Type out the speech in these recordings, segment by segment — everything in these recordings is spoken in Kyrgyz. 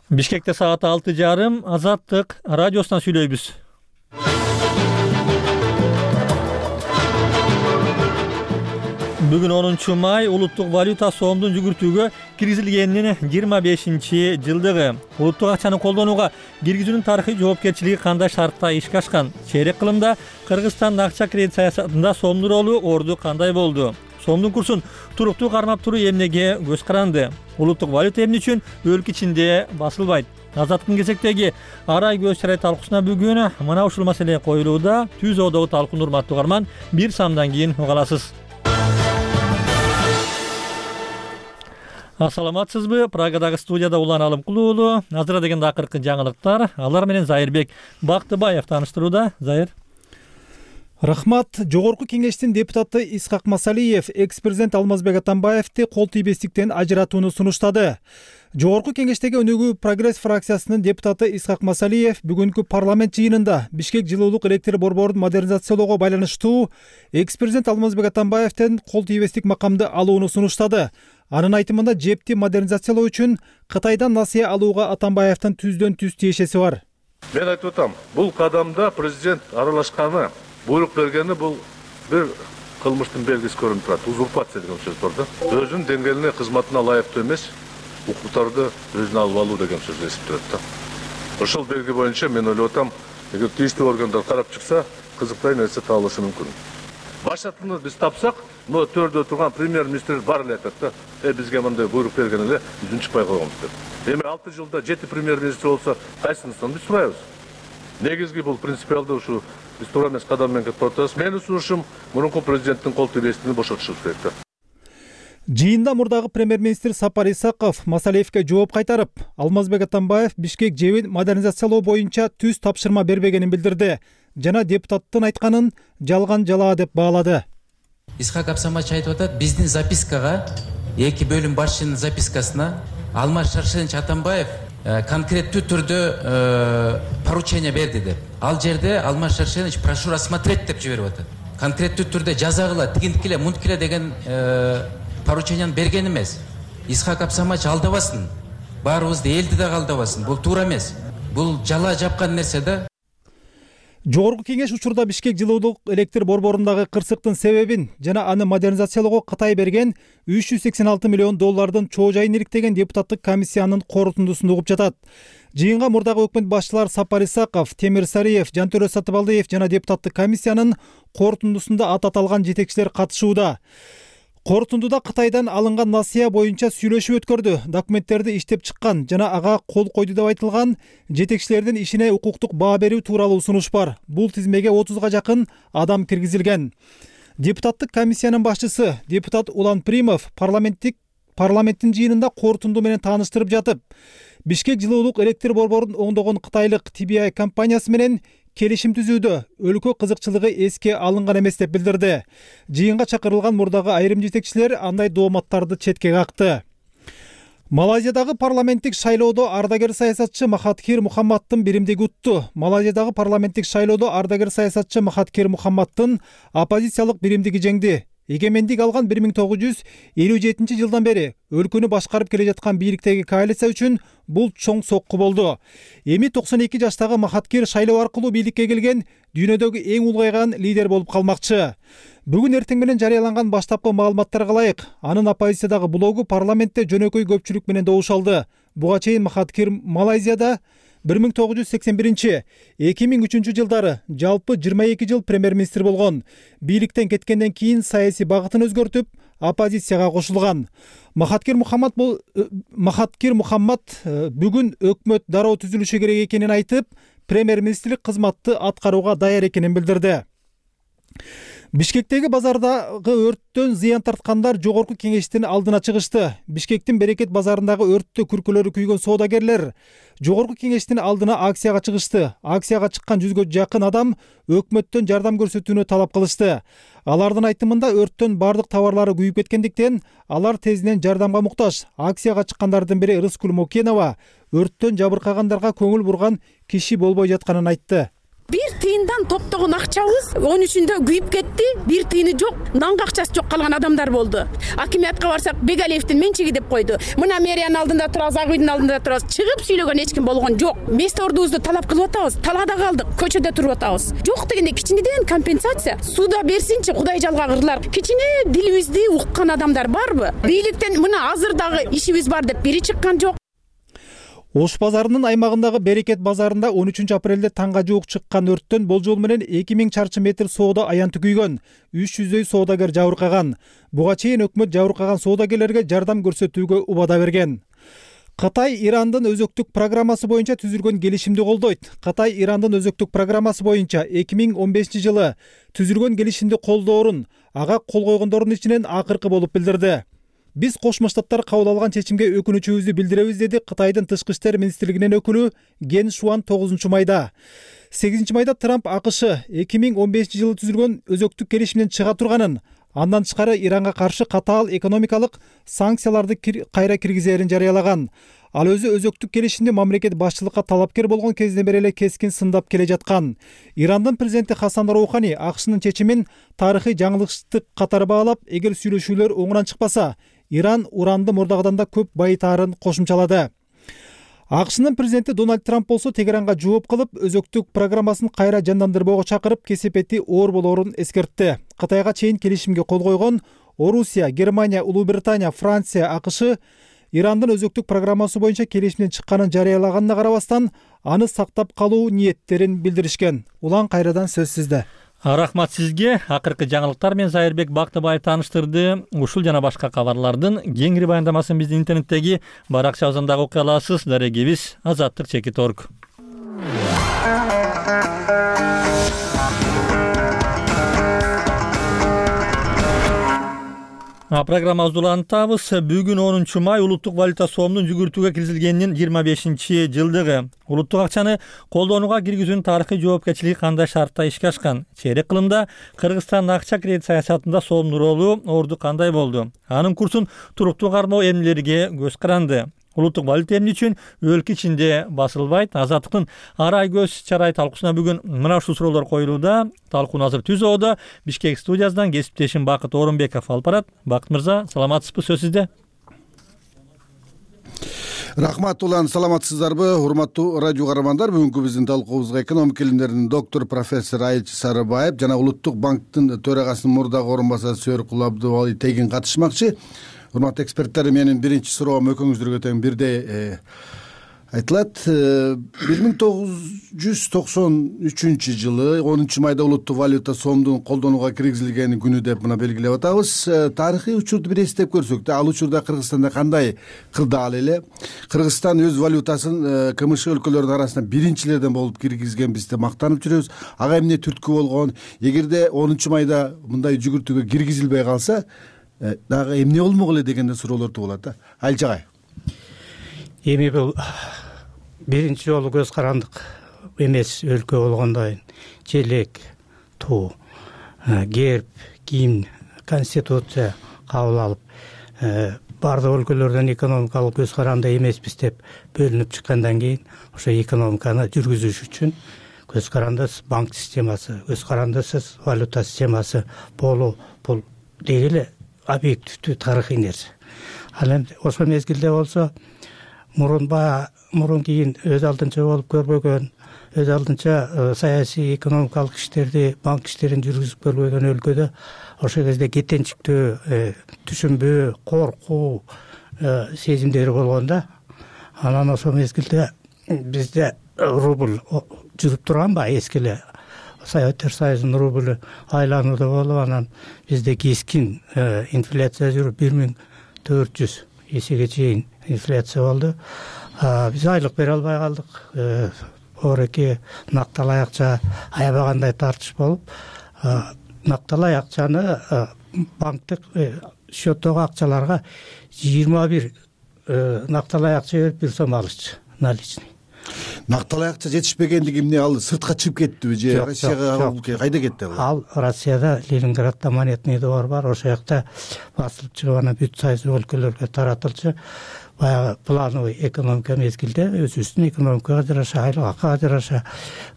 Бишкекте саат 6:30 Азаттык радиосунан сүйлөйбүз. Бүгүн 10-май улуттук валюта сомдун жүгүртүүгө киргизилгенинин 25-жылдыгы. Улуттук акчаны колдонууга киргизүүнүн тарыхый жоопкерчилиги кандай шартта ишке ашкан? Чейрек кылымда Кыргызстандын акча кредит саясатында сомдун ролу орду кандай болду? Сомдун курсун туруктуу кармап туруу эмнеге көз каранды? Улуттук валюта эмне үчүн өлкө ичинде басылбайт? Азаттыктын кезектеги арай көз чарай талкуусуна бүгүн мына ушул маселе коюлууда. Түз одогу талкуун урматтуу угарман, бир самдан кийин уга аласыз. Ассаламатсызбы? Прагадагы студияда Улан Алымкулуулу. Азыр дегенде акыркы жаңылыктар. Алар менен Зайырбек Бактыбаев тааныштырууда. Зайыр. Рахмат. Жогорку кеңештин депутаты Исхак Масалиев экс-президент Алмазбек Атамбаевди кол тийбестиктен ажыратууну сунуштады. Жогорку кеңештеги өнүгүү прогресс фракциясынын депутаты Исхак Масалиев бүгүнкү парламент жыйынында Бишкек жылуулук электр борборун модернизациялоого байланыштуу экс-президент Алмазбек Атамбаевден кол тийбестик макамды алууну сунуштады. Анын айтымында жепти модернизациялоо үчүн Кытайдан насыя алууга Атамбаевдин түздөн түз тиешеси бар. Мен айтып атам, бул кадамда президент аралашканы, буйрук бергени бул бир кылмыштын белгиси көрүнүп турат. Узурпация деген сөз бар да. Өзүнүн деңгээлине, кызматына ылайыктуу эмес, укуктарды өзүнө алып алуу деген сөз эсиптелет да. Ошол белги боюнча мен ойлоп атам, эгер тийиштүү органдар карап чыкса, кызыктай нерсе табылышы мүмкүн. Башатыны биз тапсак, но төрдө турган премьер-министр бар эле айтат да. Бизге мындай буйрук берген эле, биз унчукпай койгонбуз деп. Эми 6 жылда 7 премьер-министр болсо, кайсынысынан биз сурайбыз? Негизги бул принципиалдуу ушу биз туура эмес кадам менен кетип атабыз. Менин сунушум мурунку президенттин кол тийбестигин бошотушубуз керек да. Жыйында мурдагы премьер-министр Сапар Исаков Масалиевге жооп кайтарып, Алмазбек Атамбаев Бишкек жебин модернизациялоо боюнча түз тапшырма бербегенин билдирди жана депутаттын айтканын жалган жалаа деп баалады. Исхак Абсамач айтып атат, биздин запискага, эки бөлүм башчынын запискасына Алмаз Шаршенович Атамбаев конкреттүү түрдө поручение берди деп. Ал жерде Алмаз Шаршенович прошу рассмотреть деп жиберип атат. Конкреттүү түрдө жазагыла, тигинткиле, мунткиле деген поручениени берген эмес. Исхак Абсамач алдабасын. Баарыбызды элди да алдабасын. Бул туура эмес. Бул жалаа жапкан нерсе да. Жогорку кеңеш учурда Бишкек жылуулук электр борборундагы кырсыктын себебин жана аны модернизациялоого Кытай берген 386 миллион доллардын чоо жайын иликтеген депутаттык комиссиянын корутундусун угуп жатат. Жыйынга мурдагы өкмөт башчылары Сапар Исаков, Темир Сариев, Жантөрө Сатыбалдиев жана депутаттык комиссиянын корутундусунда ат аталган жетекчилер катышууда. Корутундуда Кытайдан алынган насыя боюнча сүйлөшүү өткөрдү, документтерди иштеп чыккан жана ага кол койду деп айтылган жетекчилердин ишине укуктук баа берүү тууралуу сунуш бар. Бул тизмеге 30га жакын адам киргизилген. Депутаттык комиссиянын башчысы депутат Улан Примов парламенттин жыйынында корутунду менен тааныштырып жатып, Бишкек жылуулук электр борборун оңдогон кытайлык TBI компаниясы менен келишим түзүүдө өлкө кызыкчылыгы эске алынган эмес деп билдирди. Жыйынга чакырылган мурдагы айрым жетекчилер андай дооматтарды четке какты. Малайзиядагы парламенттик шайлоодо ардагер саясатчы Махатхир Мухаммаддын биримдиги утту. Малайзиядагы парламенттик шайлоодо ардагер саясатчы Махатхир Мухаммаддын оппозициялык биримдиги жеңди. Эгемендик алган 1957 жылдан бери өлкөнү башкарып келе жаткан бийликтеги коалиция үчүн бул чоң сокку болду. Эми 92 жаштагы Махатхир шайлоо аркылуу бийликке келген дүйнөдөгү эң улгайган лидер болуп калмакчы. Бүгүн эртең менен жарыяланган баштапкы маалыматтарга ылайык, анын оппозициядагы блогу парламентте жөнөкөй көпчүлүк менен добуш алды. Буга чейин Махатхир Малайзияда 1981-2003 жылдары жалпы 22 жыл премьер-министр болгон. Бийликтен кеткенден кийин саясий багытын өзгөртүп, оппозицияга кошулган. Махатхир Мухаммад бүгүн өкмөт дароо түзүлүшү керек экенин айтып, премьер-министрлик кызматты аткарууга даяр экенин билдирди. Бишкектеги базардагы өрттөн зыян тарткандар жогорку кеңештин алдына чыгышты. Бишкектин Берекет базарындагы өрттө күркөлөрү күйгөн соодагерлер жогорку кеңештин алдына акцияга чыгышты. Акцияга чыккан 100гө жакын адам өкмөттөн жардам көрсөтүүнү талап кылышты. Алардын айтымында өрттөн бардык товарлары күйүп кеткендиктен алар тезинен жардамга муктаж. Акцияга чыккандардын бири Рыскүл Мокенова өрттөн жабыркагандарга көңүл бурган киши болбой жатканын айтты. Бир тыйындан топтогон акчабыз 13-үндө күйүп кетти. Бир тыйыны жок, нанга акчасы жок калган адамдар болду. Акимиятка барсак, Бегалиевдин менчиги деп койду. Мына мэриянын алдында турабыз, Ак үйдүн алдында турабыз. Чыгып сүйлөгөн эч ким болгон жок. Место ордубузду талап кылып атабыз. Талаада калдык, көчөдө туруп атабыз. Жок дегенде кичинеден компенсация суда берсинчи, Кудай жалгагырлар. Кичине дилибизди уккан адамдар барбы? Бийликтен мына азыр дагы ишибиз бар деп бири чыккан жок. Ош базарынын аймагындагы Берекет базарында 13-апрелде таңга жуук чыккан өрттөн болжол менен 2000 чарчы метр соода аянты күйгөн, 300 соодагер жабыркаган. Буга чейин өкмөт жабыркаган соодагерлерге жардам көрсөтүүгө убада берген. Кытай Ирандын өзөктүк программасы боюнча түзүлгөн келишимди колдойт. Кытай Ирандын өзөктүк программасы боюнча 2015-жылы түзүлгөн келишимди колдоорун, ага кол койгондордун ичинен акыркы болуп билдирди. Биз Кошмо Штаттар кабыл алган чечимге өкүнүчүбүздү билдиребиз, деди Кытайдын Тышкы иштер министрлигинин өкүлү Ген Шуан 9-майда. 8-майда Трамп АКШ 2015-жылы түзүлгөн өзөктүк келишимден чыга турганын, андан тышкары Иранга каршы катаал экономикалык санкцияларды кайра киргизерин жарыялаган. Ал өзү өзөктүк келишимди мамлекет башчылыкка талапкер болгон кезинен бери эле кескин сындап келе жаткан. Ирандын президенти Хасан Роухани АКШнын чечимин тарыхый жаңылыштык катары баалап, эгер сүйлөшүүлөр оңунан чыкпаса, Иран уранды мурдагыдан да көп байытаарын кошумчалады. АКШнын президенти Дональд Трамп болсо Тегеранга жооп кылып, өзөктүк программасын кайра жандандырбоого чакырып, кесепети оор болоорун эскертти. Кытайга чейин келишимге кол койгон Орусия, Германия, Улуу Британия, Франция, АКШ Ирандын өзөктүк программасы боюнча келишимден чыкканын жарыялаганына карабастан, аны сактап калуу ниеттерин билдиришкен. Улан кайрадан сөз сизде. Рахмат сизге. Акыркы жаңылыктар менен Зайырбек Бактыбаев тааныштырды. Ушул жана башка кабарлардын кеңири баяндамасын биздин интернеттеги баракчабыздан окуй аласыз. Дарегибиз Азаттык.org. Программабызды улантабыз. Бүгүн 10-май улуттук валюта сомдун жүгүртүүгө киргизилгенинин 25-жылдыгы. Улуттук акчаны колдонууга киргизүүнүн тарыхый жоопкерчилиги кандай шартта ишке ашкан? Чейрек кылымда Кыргызстандын акча кредит саясатында сомдун ролу, орду кандай болду? Анын курсун туруктуу кармоо эмнелерге көз каранды? Улуттук валюта эмне үчүн өлкө ичинде басылбайт? Азаттыктын арай көз чарай талкуусуна бүгүн мына ушул суроолор коюлууда. Талкууну азыр түзүүдө Бишкек студиясынан кесиптешим Бакыт Орунбеков алып барат. Бакыт мырза, саламатсызбы? Сөз сизде. Рахмат улан, саламатсыздарбы? Урматтуу радио каармандар, бүгүнкү биздин талкуубузга экономика илимдеринин доктор профессор Айылчы Сарыбаев жана Улуттук банктын төрагасынын мурдагы орун басары Сөөөркул Абдубали Тегин катышмакчы. Урматтуу эксперттер, менин биринчи суроом экөөңүздөргө тең бирдей айтылат. 1993-жылы 10-майда улуттук валюта сомдун колдонууга киргизилген күнү деп мына белгилеп атабыз. Тарыхый учурду бир эстеп көрсөк, ал учурда Кыргызстанда кандай кырдаал эле? Кыргызстан өз валютасын КМШ өлкөлөрүнүн арасында биринчилерден болуп киргизген, биз да мактанып жүрөбүз. Ага эмне түрткү болгон? Эгерде 10-майда мындай жүгүртүүгө киргизилбей калса, дагы эмне болмок эле деген суроолор туулат да. Айылчы агай. Эми бул биринчи жолу көз карандык эмес өлкө болгондон желек, туу, герб, гимн, конституция кабыл алып, бардык өлкөлөрдөн экономикалык көз каранды эмеспиз деп бөлүнүп чыккандан кийин, ошо экономиканы жүргүзүш үчүн көз карандысыз банк системасы, көз карандысыз валюта системасы болуу, бул деги объективдүү тарыхый нерсе. Ал эми ошол мезгилде болсо мурун кийин өз алдынча болуп көрбөгөн, өз алдынча саясий экономикалык иштерди, банк иштерин жүргүзүп көрбөгөн өлкөдө ошол кезде кетенчиктүү, түшүнбөө, коркуу сезимдери болгон да. Анан ошол мезгилде бизде рубль жүрүп турганбы, эски эле Советтер Союзунун рублю айланууда болуп, анан бизде кескин инфляция жүрүп 1400 эсеге чейин инфляция болду. Биз айлык бере албай калдык. Оореки накталай акча аябагандай тартыш болуп, накталай акчаны банктык счеттогу акчаларга 21 накталай акча берип 1 сом алышчы наличный. Накталай акча жетишпегендиги эмне, ал сыртка чыгып кеттиби же Россияга кайда кетти ал? Ал Россияда Ленинградда монетный двор бар, ошол жакта басылып чыгып анан бүт союз өлкөлөргө таратылчу. Баягы плановый экономика мезгилде өзүбүздүн экономикага жараша, айлыкка жараша,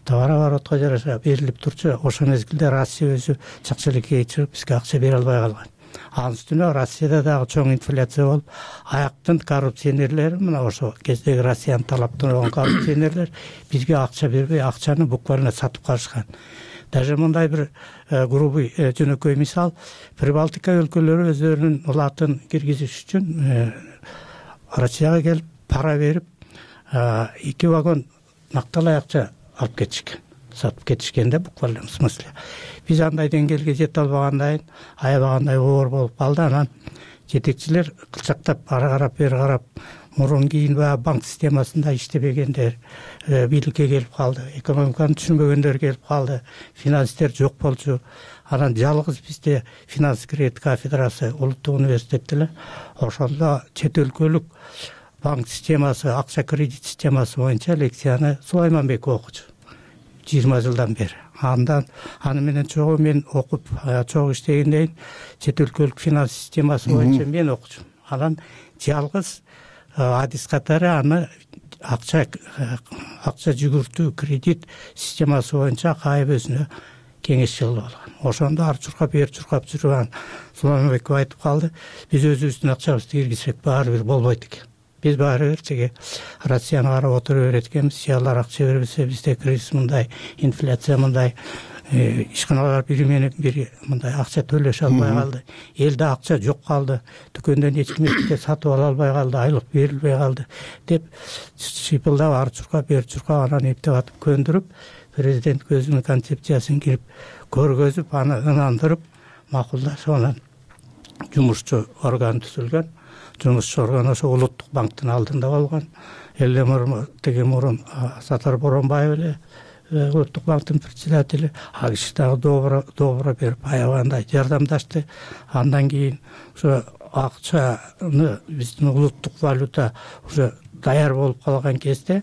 товар оборотко жараша берилип турчу. Ошол мезгилде Россия өзү чакчылыкка чыгып бизге акча бере албай калган. Анын үстүнө Россияда дагы чоң инфляция болуп, аяктын коррупционерлери, мына ошо кездеги Россиянын талаптан болгон коррупционерлер бизге акча бербей, акчаны буквально сатып калышкан. Даже мындай бир грубый жөнөкөй мисал, Прибалтика өлкөлөрү өздөрүнүн улатын киргизиш үчүн Россияга келип пара берип 2 вагон накталай акча алып кетишкен, сатып кетишкенде буквально в смысле. Биз андай деңгээлге жете албагандай, аябагандай оор болуп калды. Анан жетекчилер кылчактап ары карап бери карап мурун кийин баягы банк системасында иштебегендер бийликке келип калды, экономиканы түшүнбөгөндөр келип калды, финанстер жок болчу. Анан жалгыз бизде финанс кредит кафедрасы улуттук университетте эле ошондо чет өлкөлүк банк системасы, акча кредит системасы боюнча лекцияны Сулайманбеков окучу 20 жылдан бери. Аны менен чогуу мен окуп, чогуу иштегенден кийин чет өлкөлүк финанс системасы боюнча мен окучумун. Анан жалгыз адис катары аны акча жүгүртүү кредит системасы боюнча кайып өзүнө кеңешчи кылып алган. Ошондо ар чуркап бер чуркап жүргөн Сулайманбеков айтып калды, биз өзүбүздүн акчабызды киргизсек баары бир болбойт экен. Биз баары бир чеге Россияны карап отура берет экенбиз. Алар акча бербесе бизде кризис мындай, инфляция мындай, ишканалар бири менен бири мындай акча төлөшө албай калды. Элде акча жок калды. Дүкөндөн эч кимге сатып ала албай калды, айлык берилбей калды деп шыйпылдап ар чуркап бер чуркап анан эптеп атып көндүрүп, президент өзүнүн концепциясын кирип көргөзүп, аны ынандырып, макулдашып анан жумушчу орган түзүлгөн. Жумушчу орган ошо улуттук банктын алдында болгон. Эле мурун Сатар Боронбаев эле улуттук банктын председатели, ал киши дагы добро берип аябагандай жардамдашты. Андан кийин ошо акчаны биздин улуттук валюта уже даяр болуп калган кезде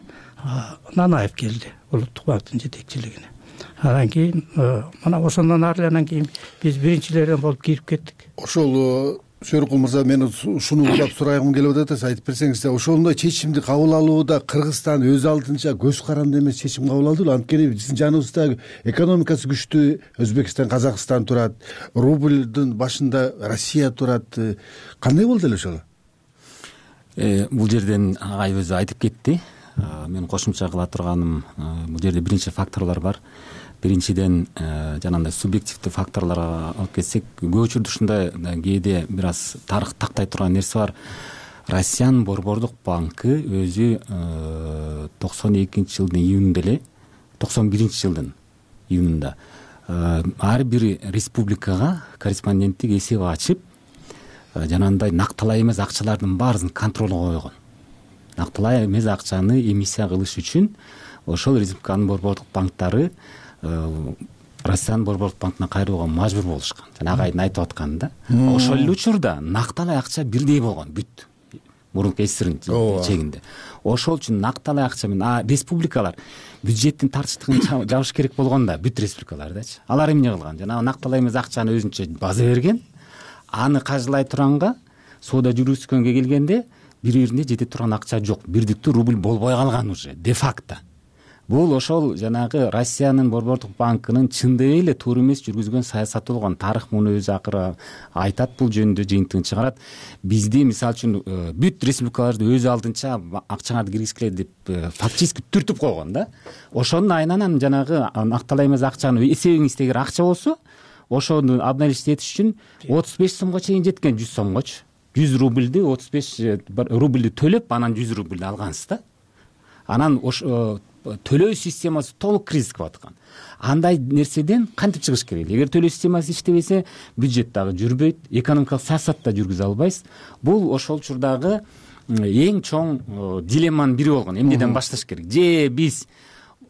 Нанаев келди улуттук банктын жетекчилигине. Анан кийин мына ошондон ары анан кийин биз биринчилерден болуп кирип кеттик. Ошол Сөркул мырза, мен ушуну улап сурайгым келип атат, айтып берсеңиз. Ошондой чечимди кабыл алууда Кыргызстан өз алдынча көз каранды эмес чечим кабыл алдыбы? Анткени биздин жаныбызда экономикасы күчтүү Өзбекстан, Казакстан турат, рубльдин башында Россия турат. Кандай болду эле ошол? Бул жерден агай өзү айтып кетти. Мен кошумча кыла турганым, бул жерде биринчи факторлор бар. Биринчиден жанагындай субъективдүү факторлорго алып кетсек, көп учурда ушундай кээде бир аз тарых тактай турган нерсе бар. Россиянын Борбордук банкы өзү 92-жылдын июнунда эле, 91-жылдын июнунда ар бир республикага корреспонденттик эсеп ачып, жанагындай накталай эмес акчалардын баарысын контролго койгон. Накталай эмес акчаны эмиссия кылыш үчүн ошол республиканын борбордук банктары Россиянын борбордук банкына кайрылууга мажбур болушкан. Жана агайдын айтып атканы ошол эле учурда накталай акча бирдей болгон бүт мурунку СССРдин чегинде. Ошол үчүн накталай акча менен республикалар бюджеттин тартыштыгын жабыш керек болгон да, бүт республикалардачы. Алар эмне кылган? Жанагы накталай эмес акчаны өзүнчө база берген. Аны кажылай турганга, соода жүргүзгөнгө келгенде бири-бирине жете турган акча жок. Бирдиктүү рубль болбой калган уже де факто. Бул ошол жанагы Россиянын Борбордук банкынын чындап эле туура эмес жүргүзгөн саясаты болгон. Тарых муну өзү акыры айтат, бул жөнүндө жыйынтыгын чыгарат. Бизди мисалы үчүн бүт республикаларды өз алдынча акчаңарды киргизгиле деп фактически түртүп койгон да. Ошонун айынан жанагы накталай эмес акчаны эсебиңизде эгер акча болсо, ошону обналичить этиш үчүн 35 сомго чейин жеткен, 100 сомгочу. 100 рубльди 35 рубльди төлөп, анан 100 рубльди алгансыз да. Анан төлөө системасы толук кризиске баткан. Андай нерседен кантип чыгыш керек? Эгер төлөө системасы иштебесе, бюджет дагы жүрбөйт, экономикалык саясат да жүргүзө албайсыз. Бул ошол учурдагы эң чоң дилемманын бири болгон. Эмнеден башташ керек? Же биз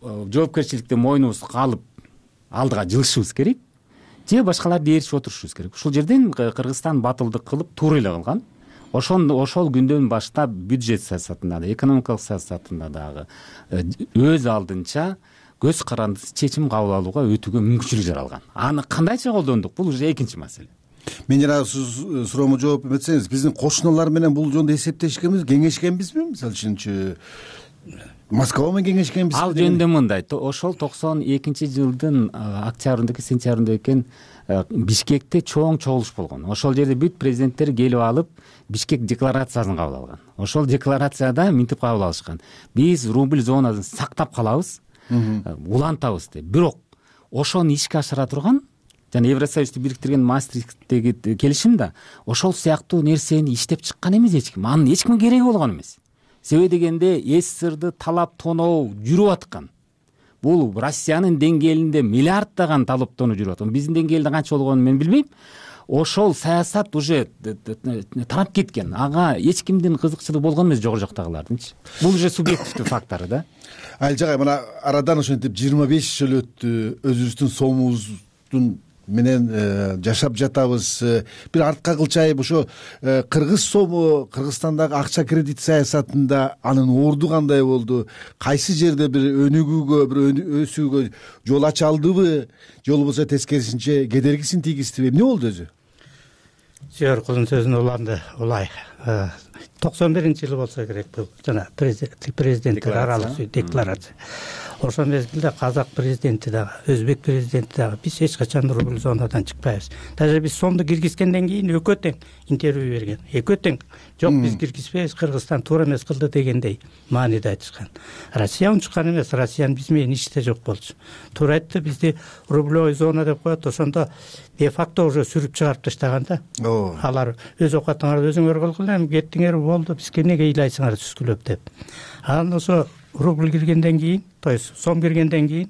жоопкерчиликтен мойнубузду калып алдыга жылышыбыз керек, же башкаларды ээрчип отурушубуз керек. Ушул жерден Кыргызстан батылдык кылып туура эле кылган. ошол күндөн баштап бюджет саясатында да, экономикалык саясатында дагы өз алдынча көз карандысыз чечим кабыл алууга өтүүгө мүмкүнчүлүк жаралган. Аны кандайча колдондук, бул уже экинчи маселе. Мен жана суроомо жооп берсеңиз, биздин кошуналар менен бул жөнүндө эсептешкенбиз, кеңешкенбизби? Мисалы үчүнчү Москва менен кеңешкенбиз. Ал жөнүндө мындай, ошол 92-жылдын октябрындагы, сентябрында экен Бишкекте чоң чогулуш болгон. Ошол жерде бүт президенттер келип алып, Бишкек декларациясын кабыл алган. Ошол декларацияда минтип кабыл алышкан. Биз рубль зонасын сактап калабыз, улантабыз деп. Бирок ошону ишке ашыра турган жана Евросоюзду бириктирген Маастрихттеги келишим да ошол сыяктуу нерсени иштеп чыккан эмес эч ким. Анын эч кимге кереги болгон эмес. Себеби дегенде СССРды талап тоноо жүрүп аткан. Бул Россиянын деңгээлинде миллиарддаган талаптоону жүрүп аткан. Биздин деңгээлде канча болгонун мен билбейм. Ошол саясат уже тарап кеткен. Ага эч кимдин кызыкчылыгы болгон эмес, жогору жактагылардынчы. Бул уже субъективдүү фактор да. Айылжагай, мына арадан ошентип 25 жыл өттү, өзүбүздүн сомубуздун менен жашап жатабыз. Бир артка кылчайып ошо кыргыз сому, Кыргызстандагы акча кредит саясатында анын орду кандай болду? Кайсы жерде бир өнүгүүгө, бир өсүүгө жол ача алдыбы? Же болбосо тескерисинче кедергисин тийгиздиби? Эмне болду өзү? Жогоркунун сөзүн уланды. Улай 91-жылы болсо керек бул жана президенттер аралык декларация. Ошол мезгилде казак президенти дагы, өзбек президенти дагы биз эч качан рубль зонадан чыкпайбыз. Даже биз сомду киргизгенден кийин экөө тең интервью берген. Экөө тең. Жок, биз киргизбейбиз, Кыргызстан туура эмес кылды дегендей мааниде айтышкан. Россия унчуккан эмес, Россиянын биз менен иште жок болчу. Туура айтты, бизди рублевой зона деп коет, ошондо де факто уже сүрүп чыгарып таштаган да. Алар өз окатыңарды өзүңөр кылгыла, эми кеттиңер болду, бизге эмнеге ыйлайсыңар түскүлөп деп. Анан ошо рубль киргенден кийин, то есть сом киргенден кийин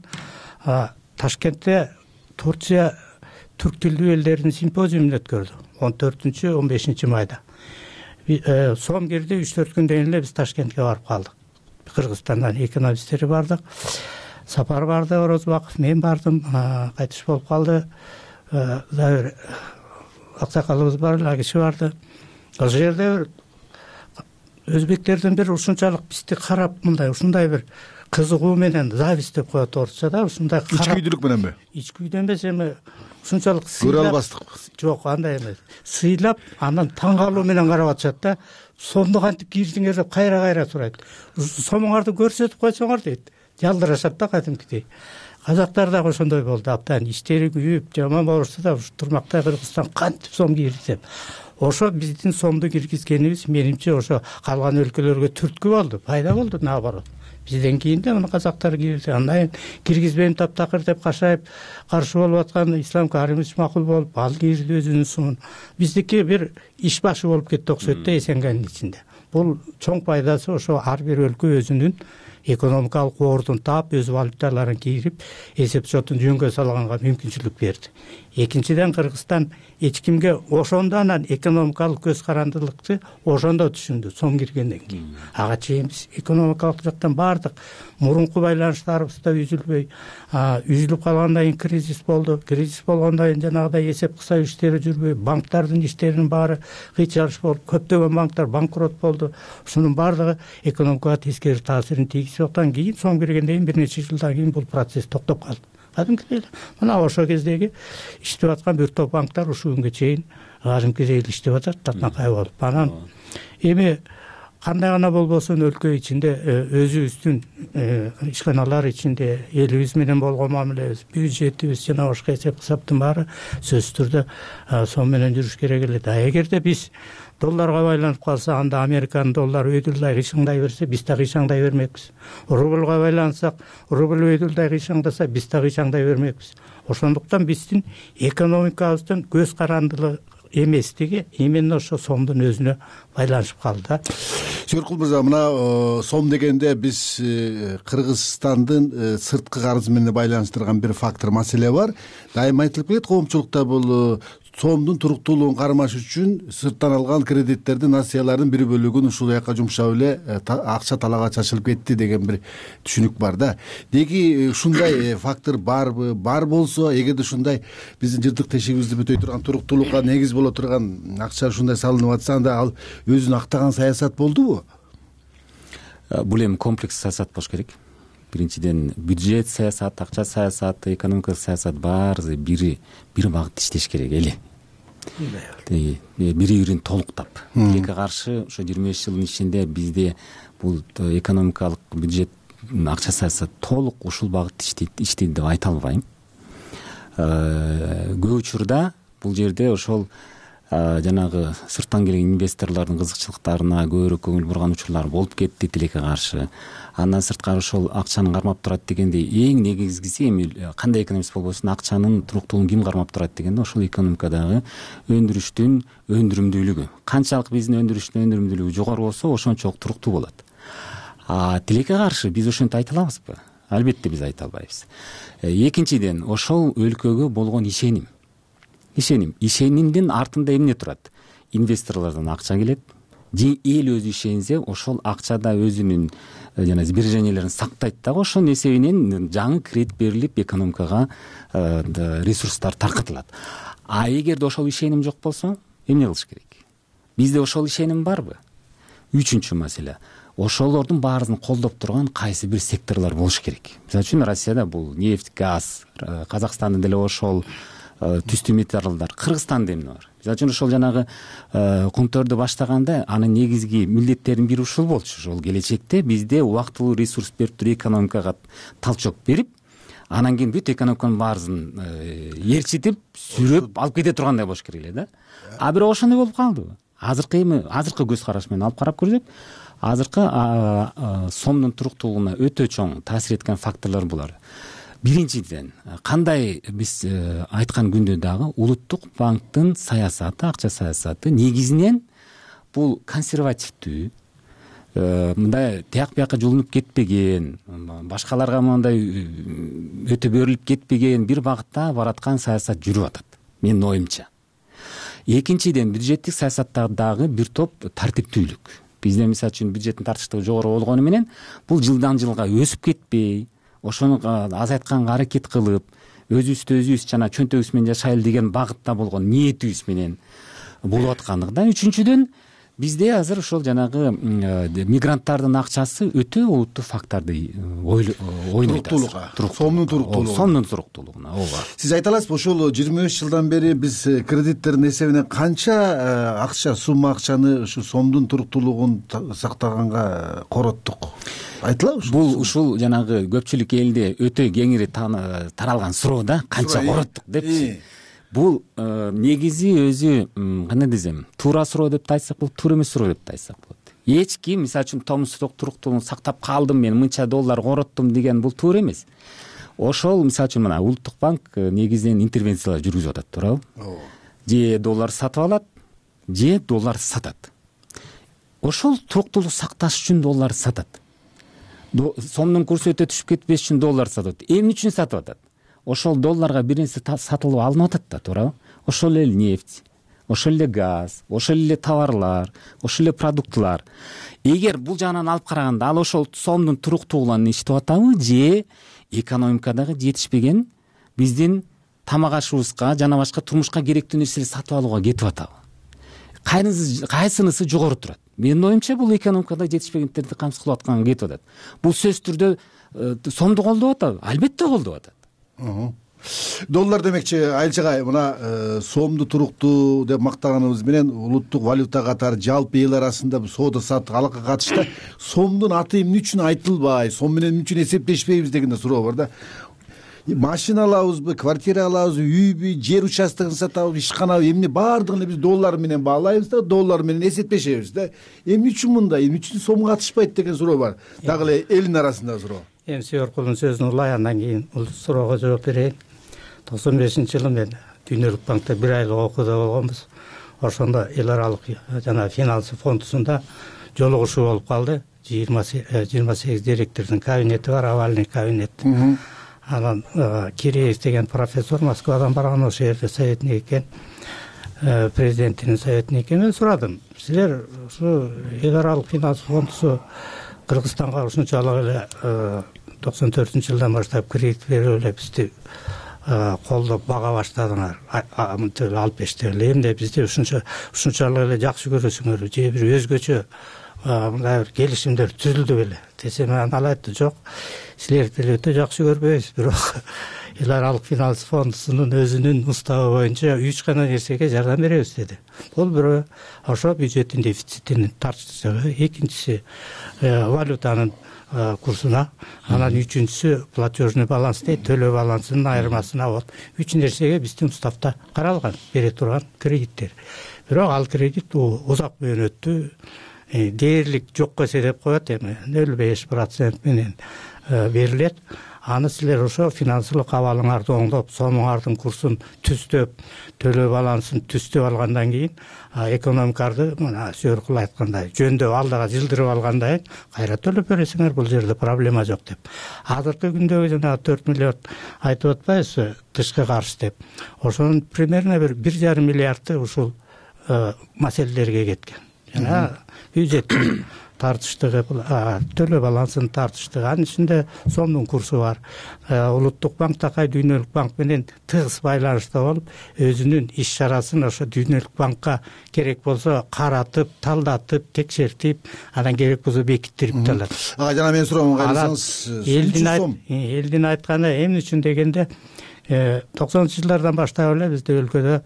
Ташкентте Турция түрк тилдүү элдердин симпозиумун өткөрдү 14-15 майда. Сом кирди, 3-4 күндөн кийин эле биз Ташкентке барып калдык. Кыргызстандан экономисттери бардык. Сапар барды, Орозбаков, мен бардым, кайтыш болуп калды. Дагы аксакалыбыз бар, киши барды. Ошол жерде өзбектердин бир ушунчалык бизди карап, мындай ушундай бир кызыгуу менен, зависть деп коет орусчада, ушундай карап. Ичкүйдүлүк мененби? Ичкүйдөн эмес, эми ушунчалык көрө албастык. Жок, андай эмес. Сыйлап, анан таң калуу менен карап атышат да. Сомду кантип кирдиңер деп кайра сурайт. Сомуңарды көрсөтүп койсоңор дейт. Жалдырашат да кадимкидей. Казактар дагы ошондой болду. Абдан иштери күйүп, жаман болушта да турмакта Кыргызстан кантип сом кирди деп. Ошо биздин сомду киргизгенибиз менимче ошо калган өлкөлөргө түрткү болду, пайда болду, наоборот. Бизден кийин да мына казактар кирди. Андан киргизбейм таптакыр деп кашайып каршы болуп аткан Ислам Каримович макул болуп, ал кирди өзүнүн сумун. Биздики бир иш башы болуп кетти окшойт да Эсенгендин ичинде. Бул чоң пайдасы ошо ар бир өлкө өзүнүн экономикалык ордун таап, өз валюталарын кирип, эсеп шотун жөнгө салганга мүмкүнчүлүк берди. Экинчиден, Кыргызстан эч кимге ошондо анан экономикалык көз карандылыкты ошондо түшүндү, сом киргенден кийин. Ага чейин биз экономикалык жактан бардык мурунку байланыштарыбыз да үзүлбөй, үзүлүп калгандан кийин кризис болду. Кризис болгондон кийин жанагыдай эсеп кысуу иштери жүрбөй, банктардын иштеринин баары кыйчалыш болуп, көптөгөн банктар банкрот болду. Ушунун баардыгы экономикага тескери таасирин тийгизип аткан. Кийин сом киргенден кийин бир нече жылдан кийин бул процесс токтоп калды. Кадимкидей мына ошол кездеги иштеп аткан бир топ банктар ушул күнгө чейин кадимкидей иштеп атат, татнакай болуп. Анан эми кандай гана болбосун өлкө ичинде өзүбүздүн ишканалар ичинде элибиз менен болгон мамилебиз, бюджетибиз жана башка эсеп кысаптын баары сөзсүз түрдө сом менен жүрүш керек эле. Эгерде биз долларга байланып калса, анда Американын доллары өйдүлдай кыйшаңдай берсе, биз да кыйшаңдай бермекпиз. Рубльга байлансак, рубль өйдүлдай кыйшаңдаса, биз да кыйшаңдай бермекпиз. Ошондуктан биздин экономикабыздын көз карандылыгы эместиги именно ошо сомдун өзүнө байланышып калды да. Сөркул мырза, мына сом дегенде биз Кыргызстандын сырткы карызы менен байланыштырган бир фактор, маселе бар. Дайыма айтылып келет, коомчулукта бул сомдун туруктуулугун кармаш үчүн сырттан алган кредиттердин нациялардын бир бөлүгүн ушул жака жумшап эле акча талаага чачылып кетти деген бир түшүнүк бар да. Деги ушундай фактор барбы? Бар болсо, эгерде ушундай биздин жыртык тешигибизди бүтөй турган туруктуулукка негиз боло турган акча ушундай салынып атса, анда ал өзүн актаган саясат болдубу? Бул эми комплекс саясат болуш керек. Биринчиден бюджет саясаты, акча саясаты, экономикалык саясат баары бир багытта иштеш керек эли. Бири-бирин толуктап. Тилекке каршы ошо 25 жылдын ичинде бизде бул экономикалык бюджет, акча саясат толук ушул багытта иштейт деп айта албайм. Көп учурда бул жерде ошол жанагы сырттан келген инвесторлордун кызыкчылыктарына көбүрөөк көңүл бурган учурлар болуп кетти тилекке каршы. Андан сырткары ошол акчаны кармап турат дегенде эң негизгиси эми кандай экономист болбосун акчанын туруктуулугун ким кармап турат дегенде ошол экономикадагы өндүрүштүн өндүрүмдүүлүгү. Канчалык биздин өндүрүштүн өндүрүмдүүлүгү жогору болсо ошончолук туруктуу болот. Тилекке каршы биз ошентип айта алабызбы? Албетте биз айта албайбыз. Экинчиден ошол өлкөгө болгон ишенимдин артында эмне турат? Инвесторлордон акча келет. Эл өзү ишенсе, ошол акчада өзүнүн жана сбереженияларын сактайт дагы, ошонун эсебинен жаңы кредит берилип, экономикага ресурстар таркатылат. Эгерде ошол ишеним жок болсо, эмне кылыш керек? Бизде ошол ишеним барбы? Үчүнчү маселе. Ошолордун баарын колдоп турган кайсы бир секторлор болуш керек. Мисалы үчүн Россияда бул нефть, газ, Казакстанда деле ошол түстүү металлдар, Кыргызстанда эмне бар? Мисалы үчүн ошол жанагы кумтөрдү баштаганда анын негизги милдеттеринин бири ушул болчу. Ошол келечекте бизде убактылуу ресурс берип туруп экономикага талчок берип, анан кийин бүт экономиканын баарысын ээрчитип, сүрөп алып кете тургандай болуш керек эле да. Бирок ошондой болуп калдыбы? Азыркы көз караш менен алып карап көрсөк, азыркы сомдун туруктуулугуна өтө чоң таасир эткен факторлор булар. Биринчиден, кандай биз айткан күндө дагы улуттук банктын саясаты, акча саясаты негизинен бул консервативдүү, мындай тияк бияка жулунуп кетпеген, башкаларга мындай өтө берилип кетпеген бир багытта бараткан саясат жүрүп атат, менин оюмча. Экинчиден, бюджеттик саясатта дагы бир топ тартиптүүлүк. Бизде мисалы үчүн бюджеттин тартиштыгы жогору болгону менен бул жылдан жылга өсүп кетпей, ошону азайтканга аракет кылып, өзүбүз жана чөнтөгүбүз менен жашайлы деген багытта болгон ниетибиз менен болуп аткандыгында. Үчүнчүдөн, бизде азыр ошол жанагы мигранттардын акчасы өтө олуттуу факторду ойнойт. Сомдун туруктуулугуна. Ооба. Сиз айта аласызбы, ошол 25 жылдан бери биз кредиттердин эсебинен канча сумма акчаны ушу сомдун туруктуулугун сактаганга короттук? Айтылабы ушул? Бул ушул жанагы көпчүлүк элде өтө кеңири таралган суроо да, канча короттук депчи. Бул негизи өзү кандай десем, туура суроо деп айтсак болот, туура эмес суроо деп айтсак болот. Эч ким мисалы үчүн томсуздук туруктуулугун сактап калдым, мен мынча доллар короттум деген бул туура эмес. Ошол мисалы үчүн мына Улуттук банк негизинен интервенциялар жүргүзүп атат, туурабы? Же доллар сатып алат, же доллар сатат. Ошол туруктуулук сакташ үчүн доллар сатат. Сомдун курсу өтө түшүп кетпеш үчүн доллар сатат. Эмне үчүн сатып атат? Ошол долларга бир нерсе сатылып алынып атат да, туурабы? Ошол эле нефть, ошол эле газ, ошол эле товарлар, ошол эле продуктлар. Эгер бул жагынан алып караганда, ал ошол сомдун туруктуулугуна иштеп атабы, же экономикадагы жетишпеген биздин тамак ашыбызга жана башка турмушка керектүү нерселерди сатып алууга кетип атабы? Кайсынысы жогору турат? Менин оюмча, бул экономикада жетишпегендерди камсыз кылып атканга кетип атат. Бул сөзсүз түрдө сомду колдоп атабы? Албетте колдоп атат. Доллар демекчи, Айылчагай, мына сомду туруктуу деп мактаганыбыз менен улуттук валюта катары жалпы эл арасында соода саттык алакка катышта сомдун аты эмне үчүн айтылбай, сом менен эмне үчүн эсептешпейбиз деген да суроо бар да. Машина алабызбы, квартира алабызбы, үйбү, жер участогун сатабызбы, ишканабы, эмне баардыгын биз доллар менен баалайбыз да, доллар менен эсептешебиз да. Эмне үчүн мындай, эмне үчүн сом катышпайт деген суроо бар. Дагы эле элдин арасында суроо. Эми Сүйөркулдун сөзүн улай, андан кийин бул суроого жооп берейин. 95-жылы мен Дүйнөлүк банкта 1 айлык окууда болгонбуз. Ошондо эл аралык жана финансы фондусунда жолугушуу болуп калды. 28 директордун кабинети бар, овальный кабинет. Анан Киреев деген профессор Москвадан барган, ошол жерде советник экен. президентинин советниги. Мен сурадым, силер ушу эл аралык финанс фондусу Кыргызстанга ушунчалык эле 94-жылдан баштап кредит берип эле бизди колдоп бага баштадыңар, 65-те эле. Эмне бизди ушунчалык эле жакшы көрөсүңөр, же бир өзгөчө мындай бир келишимдер түзүлдү беле десем, ал айтты, жок, силерди деле өтө жакшы көрбөйбүз, бирок эл аралык финанс фондусунун өзүнүн уставы боюнча 3 гана нерсеге жардам беребиз деди. Бул бирөө ошо бюджеттин дефицитин тартыштыгы, экинчиси валютанын курсуна, анан үчүнчүсү платежный баланс дейт, төлөө балансынын айырмасына. Вот 3 нерсеге биздин уставда каралган бере турган кредиттер. Бирок ал кредит узак мөөнөттүү дээрлик жокко эсептеп коет, эми 0,5% менен берилет. Аны силер ошо финансылык абалыңарды оңдоп, сомуңардын курсун түздөп, төлөө балансын түздөп алгандан кийин экономикарды мына Сөркул айткандай жөндөп алдыга жылдырып алгандан кийин кайра төлөп бересиңер, бул жерде проблема жок деп. Азыркы күндөгү жана 4 миллиард айтып атпайбызбы тышкы карыз деп. Ошонун примерно бир 1,5 миллиарды ушул маселелерге кеткен. Жана бюджеттин тартыштыгы, төлөө балансынын тартыштыгы, анын ичинде сомдун курсу бар. Улуттук банк такай дүйнөлүк банк менен тыгыз байланышта болуп, өзүнүн иш чарасын ошо дүйнөлүк банкка керек болсо каратып, талдатып, текшертип, анан керек болсо бекиттирип алат. Жана мен суроомун кайрысаңыз, элдин айтканы эмне үчүн дегенде 90-жылдардан баштап эле бизде өлкөдө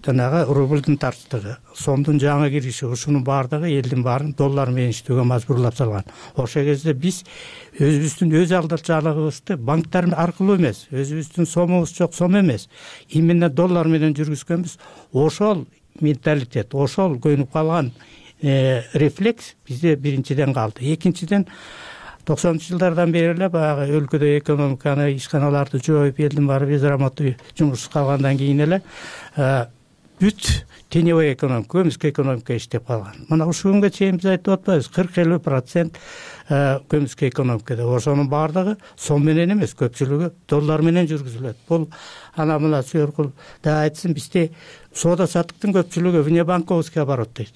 жанагы рублдун тартыштыгы, сомдун жаңы кириши, ушунун баардыгы элдин баарын доллар менен иштөөгө мажбурлап салган. Ошол кезде биз өзүбүздүн өз алдырчалыгыбызды банктар аркылуу эмес, өзүбүздүн сомубуз жок, сом эмес, именно доллар менен жүргүзгөнбүз. Ошол менталитет, ошол көнүп калган рефлекс бизде биринчиден калды. Экинчиден 90-жылдардан бери эле баягы өлкөдө экономиканы, ишканаларды жоюп, элдин баары безрамотный жумушсуз калгандан кийин эле бүт теневой экономика, көмүскө экономика иштеп калган. Мына ушул күнгө чейин биз айтып атпайбыз, 40-50% көмүскө экономикада. Ошонун баардыгы сом менен эмес, көпчүлүгү доллар менен жүргүзүлөт. Бул ана мына Сөркул да айтсын, бизде соода саттыктын көпчүлүгү внебанковский оборот дейт.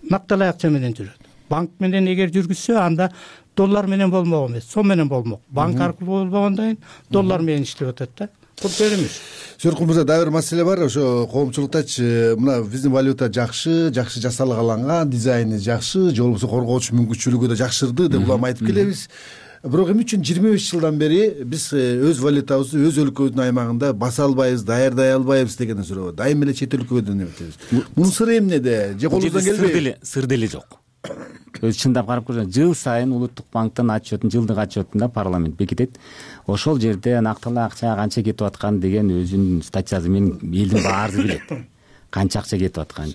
Накталай акча менен жүрөт. Банк менен эгер жүргүзсө, анда доллар менен болмок эмес, сом менен болмок. Банк аркылуу болбогондон кийин доллар менен иштеп атат да. Бул көрүнүш. Сөркул мырза, дагы бир маселе бар. Ошо коомчулуктачы мына биздин валюта жакшы жасалган, дизайны жакшы, же болбосо коргоочу мүмкүнчүлүгү да жакшырды деп улам айтып келебиз. Бирок эмне үчүн 25 жылдан бери биз өз валютабызды өз өлкөбүздүн аймагында баса албайбыз, даярдай албайбыз деген суроо. Дайым эле чет өлкөдөн эметебиз. Мунун сыры эмнеде? Же колубуздан келбейби? Сыр деле жок. Өзү чындап карап көрсөң, жыл сайын улуттук банктын отчетун, жылдык отчетунда парламент бекитет. Ошол жерде нактылуу акча канча кетип аткан деген өзүнүн статьясы менен элдин баары билет. Канча акча кетип атканын.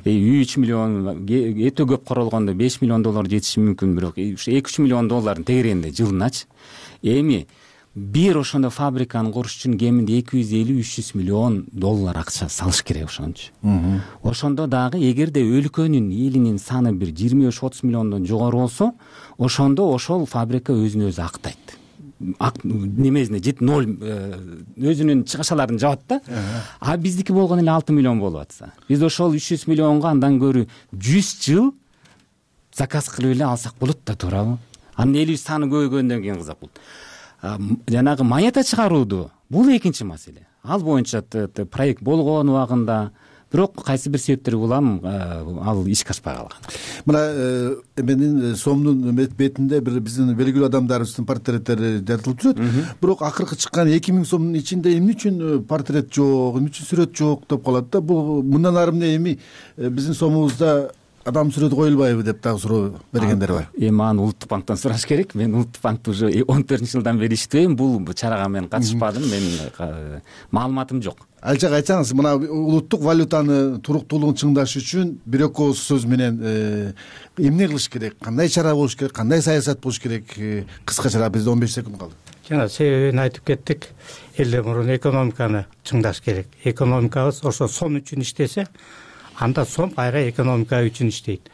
3 миллион, өтө көп королгондо 5 миллион доллар жетиши мүмкүн, бирок ушу 2-3 миллион доллардын тегерегинде жылыначы. Эми бир ошондо фабриканы куруш үчүн кеминде 250-300 миллион доллар акча салыш керек ошончу. Ошондо дагы эгерде өлкөнүн элинин саны бир 25-30 миллиондон жогору болсо, ошондо ошол фабрика өзүн өзү актайт. Немесине жет 0 өзүнүн чыгышаларын жабат да. А биздики болгон эле 6 миллион болуп атса, биз ошол 300 миллионго андан көрү 100 жыл заказ кылып эле алсак болот да, туурабы? Анын элибиз саны көбөйгөндөн кийин кызык болот. Жанагы монета чыгарууду бул экинчи маселе. Ал боюнча проект болгон убагында, бирок кайсы бир себептер улам ал ишке ашпай калган. Мына менин сомдун бетинде бир биздин белгилүү адамдарыбыздын портреттери жазылып турат. Бирок акыркы чыккан 2000 сомдун ичинде эмне үчүн портрет жок, эмне үчүн сүрөт жок деп калат да. Бул мындан ары эмне эми биздин сомубузда адам сүрөтү коюлбайбы деп дагы суроо бергендер бар. Эми аны улуттук банктан сураш керек. Мен улуттук банкта уже 14-жылдан бери иштейм. Бул чарага мен катышпадым. Менин маалыматым жок. Алчак айтсаңыз, мына улуттук валютаны туруктуулугун чыңдаш үчүн бир экөө сөз менен эмне кылыш керек, кандай чара болуш керек, кандай саясат болуш керек? Кыскача, бизде 15 секунд калды. Жана себебин айтып кеттик. Элден мурун экономиканы чыңдаш керек. Экономикабыз ошо сом үчүн иштесе, анда сом кайра экономика үчүн иштейт.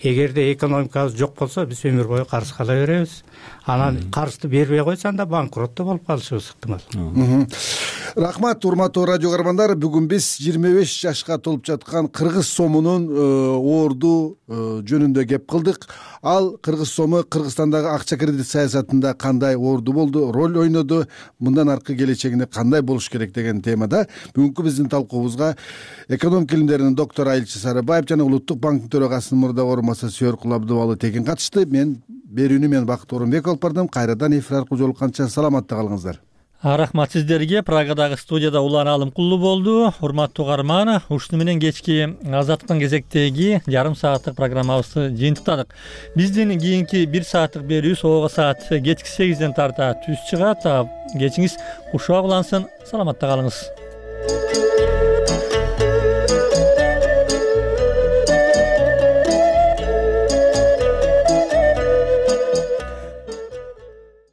Эгерде экономикабыз жок болсо, биз өмүр бою карыз кала беребиз. Анан карызды бербей койсо, анда банкрот болуп калышыбыз ыктымал. Рахмат, урматтуу радио каармандар. Бүгүн биз 25 жашка толуп жаткан кыргыз сомунун оорду жөнүндө кеп кылдык. Ал кыргыз сому Кыргызстандагы акча кредит саясатында кандай оорду болду, роль ойноду, мындан аркы келечегинде кандай болуш керек деген темада бүгүнкү биздин талкуубузга экономика илимдеринин доктору Айылчы Сарыбаев жана Улуттук банктын төрагасынын мурдагы орун басары Сүйөр Абдубалы Текин катышты. Берүүнү мен Бакыт Орунбек алып бардым. Кайрадан эфир аркылуу жолукканча саламатта калыңыздар. Рахмат сиздерге. Прагадагы студияда Улан Алымкулу болду. Урматтуу каарман, ушуну менен кечки азаттыктын кезектеги жарым сааттык программабызды жыйынтыктадык. Биздин кийинки 1 сааттык берүү согуга саат кечки 8ден тарта түз чыгат. Кечиңиз кушак улансын. Саламатта калыңыз.